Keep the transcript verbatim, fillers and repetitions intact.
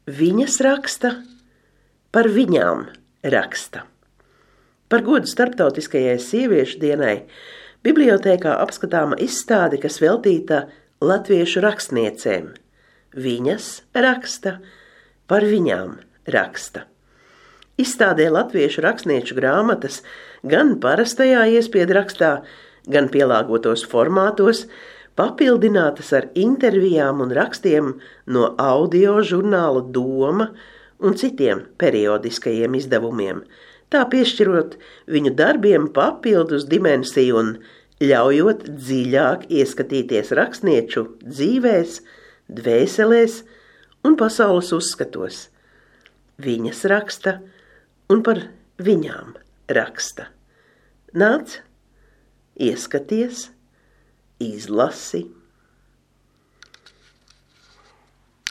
viņas raksta, par viņām raksta. Par godu starptautiskajai sieviešu dienai bibliotēkā apskatāma izstāde, kas veltīta latviešu rakstniecēm. Viņas raksta, par viņām raksta. Izstādē latviešu rakstnieču grāmatas gan parastajā iespiedrakstā, gan pielāgotos formātos, papildinātas ar intervijām un rakstiem no audio žurnāla Doma un citiem periodiskajiem izdevumiem, tā piešķirot viņu darbiem papildus dimensiju un ļaujot dziļāk ieskatīties rakstnieču dzīvēs, dvēselēs un pasaules uzskatos. Viņas raksta un par viņām raksta. Nāc, ieskaties, izlasi.